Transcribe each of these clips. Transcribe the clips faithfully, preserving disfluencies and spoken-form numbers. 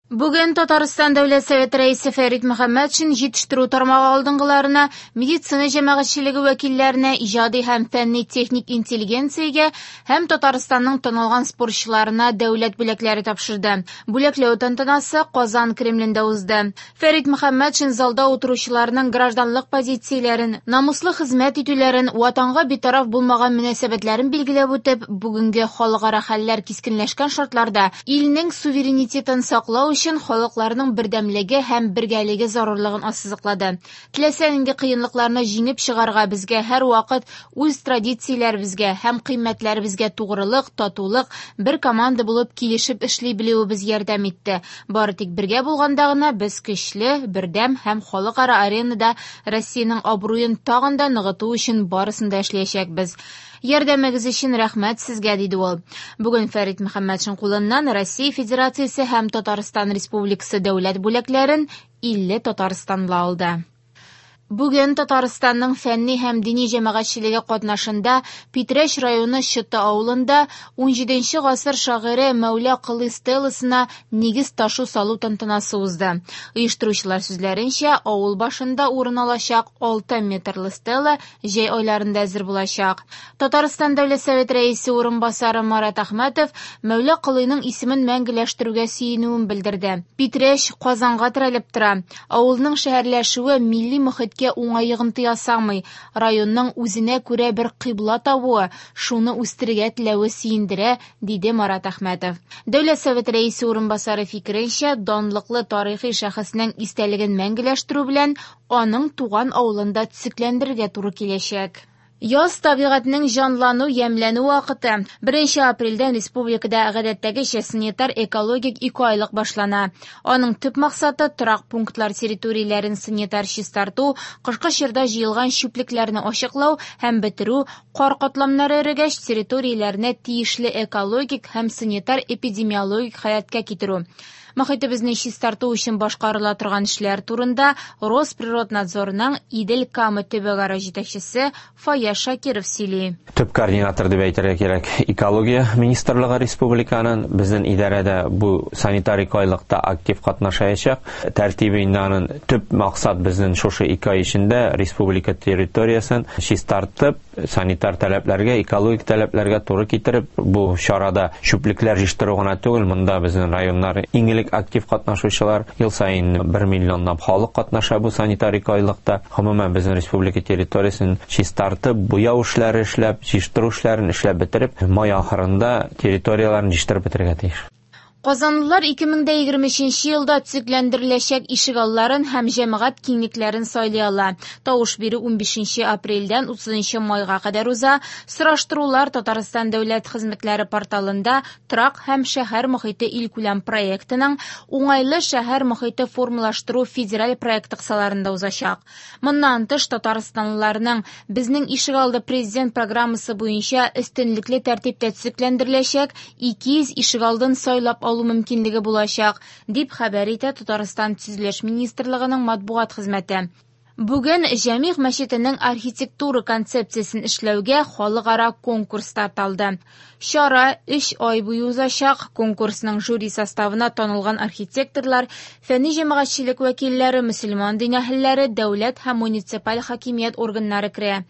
Бүген Татарстан Дәүләт Советы рәисе Фәрит Мөхәммәтшин җитештерү тармагы алдынгыларына, медицина җәмәгатьчелеге вәкилләренә, иҗади һәм фәнни-техник интеллигенциягә һәм Татарстанның танылган спортчыларына дәүләт бүләкләре тапшырды. Бүләкләү тантанасы Казан Кремлендә узды. Фәрит Мөхәммәтшин залда утыручыларның гражданлык позицияләрен, намуслы хезмәт итүләрен, ватанга битараф булмаган мөнәсәбәтләрен билгеләп үтеп, бүгенге халыкара хәлләр кискенләшкән шартларда илнең суверенитетын саклау өчен халыкларның бердәмлеге һәм бергәлеге зарурлыгын ассызыклады. Теләсә нинди кыенлыкларны җиңеп чыгарга безгә һәрвакыт үз традицияләребезгә һәм кыйммәтләребезгә тугрылык, татулык, бер команда булып килешеп эшли белүебез ярдәм итте. Бары тик бергә булганда гына без көчле, бердәм һәм халыкара аренада Россиянең абруен тагын да ныгыту өчен барысын да эшләячәкбез. Ярдәмегез өчен рәхмәт сезгә, диде ул. Бүген Фәрит Мөхәммәтшин кулыннан Россия Федерациясе һәм Татарстан Республикасы дәүләт бүләкләрен илле татарстанлы алды. Бүген Татарстанның фәнни һәм дини җәмәгатьчелеге катнашында Питрәч районы Чыты авылында унҗиденче гасыр шагыйре Мәүлә Колый стеласына нигез ташу салу тантанасы узды. Оештыручылар сүзләренчә, авыл башында урын алачак алты метрлы стела җәй айларында әзер булачак. Татарстан Дәүләт Советы рәисе урынбасары Марат Әхмәтов Мәүлә Колыйның исемен мәңгеләштерүгә сөенүен белдерде. Питрәч Казанга терәлеп тора. Авылның шәһәрләшүе милли мохиткә уңай йогынты ясамый. Районның үзенә күрә бер кыйбла табуы, шуны үстерергә теләве сөендерә, диде Марат Әхмәтов. Дәүләт Советы рәисе урынбасары фикеренчә, данлыклы тарихи шәхеснең истәлеген мәңгеләштерү белән аның туган авылында төзекләндерергә туры киләчәк. Яз табигатьнең җанлану, ямьләнү вакыты. Беренче апрельдән республикада гадәттәгечә санитар экологик ике айлык башлана. Аның төп максаты торак пунктлар территорияләрен санитар чистарту, кышкы чорда җыелган чүплекләрне ачыклау һәм бетерү, кар катламнары эрегәч территорияләрне тиешле экологик һәм санитар эпидемиологик халәткә китерү. Мохитебезне чистарту өчен башкарыла торган эшләр турында Росприроднадзорның Идел Кама төбәкара җитәкчесе Фаяз Шакиров сөйли. Төп координатор дип әйтергә кирәк экология министрлыгы республиканың. Безнең идарәдә бу санитар ике айлыкта актив катнашачак. Тәртибе инде аның төп максат безнең шушы ике ай эчендә республика территориясен чистартып, санитар таләпләргә, экологик таләпләргә туры китереп, бу чарада чүплекләр җыештыру гына түгел, монда безнең районнар иң элек актив катнашучылар, ел саен бер миллионлап халык катнаша бу санитар ике айлыкта. Гомумән безнең республика территориясен чистартып, буяу эшләре эшләп, җыештыру эшләрен эшләп бетереп, май ахырында территорияләрен җыештырып бетерергә тиеш. Казанлылар ике мең дә егерме өченче елда төзекләндереләчәк ишегалларын һәм җәмәгать киңлекләрен сайлый ала. Тавыш бирү унбишенче апрельдән утызынчы майга кадәр уза. Сораштырулар Татарстан дәүләт хезмәтләре порталында торак һәм шәһәр мохите илкүләм проектының уңайлы шәһәр мохите формалаштыру федераль проекты кысаларында узачак. Моннан тыш татарстанлыларның Безнең ишегалды президент программасы буенча өстенлекле тәртиптә төзекләндереләчәк ике йөз ишегалдын сайлап алу мөмкинлеге булачак, дип хәбәр итә Татарстан Төзелеш министрлыгының матбугат хезмәте. Бүген Җәмигъ мәчетенең архитектура концепциясен эшләүгә халыкара конкурс старт алды. Чара өч ай буе узачак. Конкурсның жюри составына танылган архитекторлар, фәнни җәмәгатьчелек вәкилләре, мөселман дин әһелләре, дәүләт һәм муниципаль хакимият органнары керә.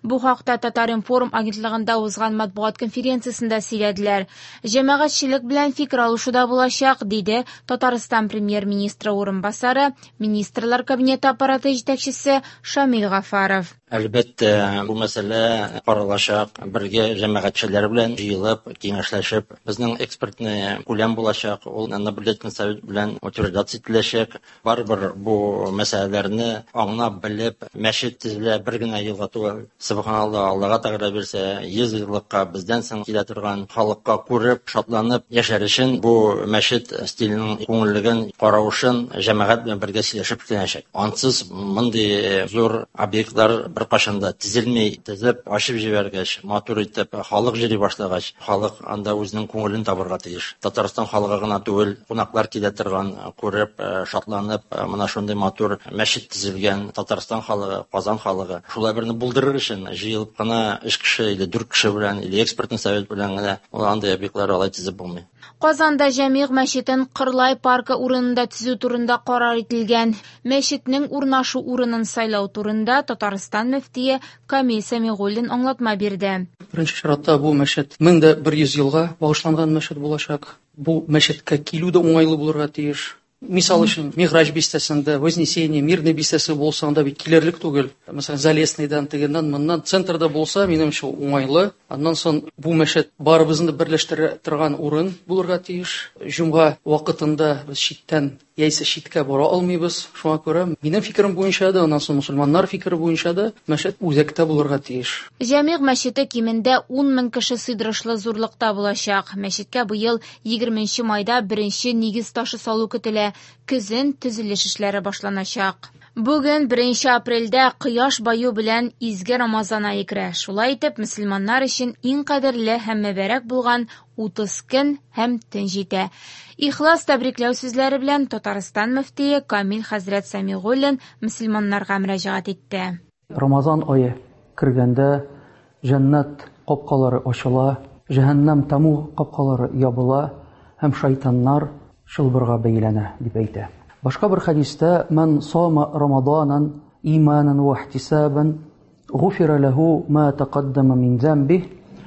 Бу хакта Татар-информ агентлыгында узган матбугат конференциясендә сөйләделәр. Җәмәгатьчелек белән фикер алышу да булачак, диде Татарстан премьер-министры урынбасары, Министрлар Кабинеты аппараты җитәкчесе Шамил Гафаров. Әлбәттә, бу мәсьәлә каралачак, бергә җәмәгатьчеләр белән җыелып, киңәшләшеп, безнең экспертный күләм булачак, ул наблюдательный совет белән утверждаться ителәчәк. Барыбер бу мәсьәләләрне аңлап, белеп, мәчет төзелә бер генә елга түгел. Субханаллаһ, Аллаһ Тәгалә бирсә, йөз еллыкка бездән соң килә торган халыкка күреп, шатланып яшәр өчен бу мәчет стиленең күңеллеген, каравышын җәмәгать белән бергә сөйләшеп эшләнәчәк. Ансыз мондый Чөнки зур объектлар беркайчан да төзелми, төзеп, ачып җибәргәч, матур итеп халык йөри башлагач, халык анда үзенең күңелен табырга тиеш. Татарстан халкы гына түгел, кунаклар килә торган, күреп, шатланып, менә шундый матур мәчет төзелгән Татарстан халкы, Казан халкы. Шулай берне булдырыр өчен җыелып кына өч кеше или дүрт кеше белән, или экспертный совет белән генә ул андый объектлар алай төзеп булмый. Казанда Җәмигъ мәчетен Кырлай паркы урынында төзү турында карар ителгән. Мәчетнең урнашу урынын сайлау турында Татарстан мөфтие Камил Сәмигуллин аңлатма бирде. Беренче чиратта бу мәчет мең дә бер йөз елга багышланган мәчет булачак. Бу мәчеткә килү дә уңайлы булырга тиеш. Мисал өчен, Миграҗ бистәсендә, Вознесение, Мирный бистәсе булса, анда бит килерлек түгел. Мәсәлән, Залесныйдан, тегеннән, моннан центрда булса, минемчә, уңайлы. Аннан соң бу мәчет барыбызны берләштерә торган урын булырга тиеш. Җомга вакытында без читтән яисә читкә бара алмыйбыз. Шуңа күрә минем фикерем буенча да, аннан соң мусульманнар фикере буенча да мәчет үзәктә булырга тиеш. Җәмигъ мәчете кимендә ун мең кеше сыйдырышлы зурлыкта булачак. Мәчеткә быел егерменче майда беренче нигез ташы салу көтелә. Көзен төзелеш эшләре башланачак. Бүген беренче апрельдә кояш баю белән изге Рамазан ае керә. Шулай итеп, мөселманнар өчен иң кадерле һәм мөбарәк булган утыз көн һәм төн җитә. Ихлас тәбрикләү сүзләре белән Татарстан мөфтие Камил хәзрәт Сәмигуллин мөселманнарга мөрәҗәгать итте. Рамазан ае кергәндә җәннәт капкалары ачыла, җәһәннәм таму капкалары ябыла һәм шайтаннар чылбырга бәйләнә дип әйтә. Башка бер хәдистә «Ман сама Рамаданан иманан ва ихтисабан гуфира лаху ма тақаддама мин замбих».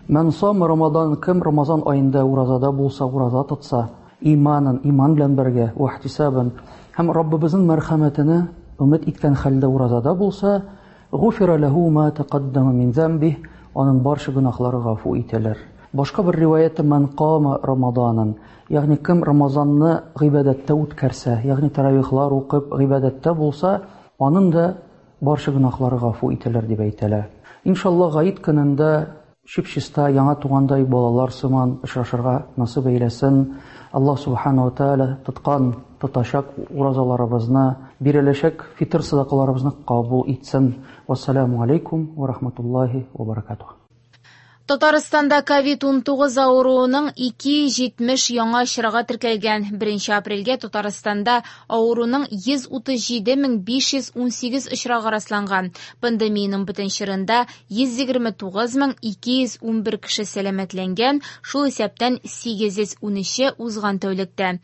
Ман сама Рамадан, кем Рамазан аенда уразада булса, ураза тотса, иманан, иман белән бергә, ва ихтисабан һәм Раббыбызның мәрхәмәтенә өмет иткән хәлдә уразада булса, гуфира лаху ма тақаддама мин замбих, аның барча гөнаһлары гафу ителер. Башка бер риваятта «Ман кама Рамаданан», ягъни кем Рамазанны гыйбадәттә үткәрсә, ягъни таравихлар укып гыйбадәттә булса, аның да барча гөнаһлары гафу ителер дип әйтелә. Иншалла, гает көнендә чип-чиста яңа тугандай балалар сыман очрашырга насыйп әйләсен. Аллаһ субхана ва тааля тоткан, тотачак уразаларыбызны, биреләчәк фитр садакаларыбызны кабул итсен. Вассаламу алейкум ва рахматуллахи ва баракатух. Татарстанда ковид ун тугыз авыруының ике йөз җитмеш яңа очрагы теркәлгән. Беренче апрельгә Татарстанда авыруның йөз утыз җиде мең биш йөз ун сигез очрагы расланган. Пандемиянең бөтен чорында йөз егерме тугыз мең ике йөз ун бер кеше сәламәтләнгән, шул исәптән сигез йөз ун өче узган тәүлектә.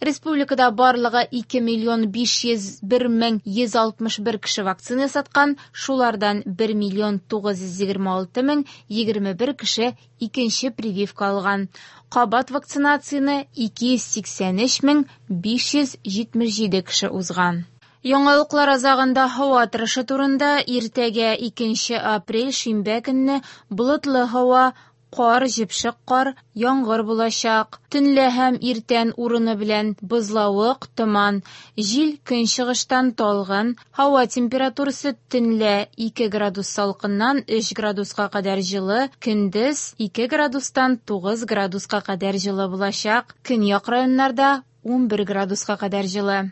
Республикада барлыгы ике миллион биш йөз бер мең йөз алтмыш бер кеше вакцина саткан, шулардан бер миллион тугыз йөз егерме алты мең егерме бер кеше икенче прививка алган. Кабат вакцинацияне ике йөз сиксән өч мең биш йөз җитмеш җиде кеше узган. Яңалыклар азагында һава торышы турында. Иртәгә икенче апрель шимбә көнне болытлы һава, кар, җепшек кар, яңгыр булачак. Төнлә һәм иртән урыны белән бозлавык, томан, җил көнчыгыштан талгын, һава температурасы төнлә ике градус салкыннан өч градуска кадәр җылы, көндез ике градустан тугыз градуска кадәр җылы булачак. Көньяк районнарда ун бер градуска кадәр җылы.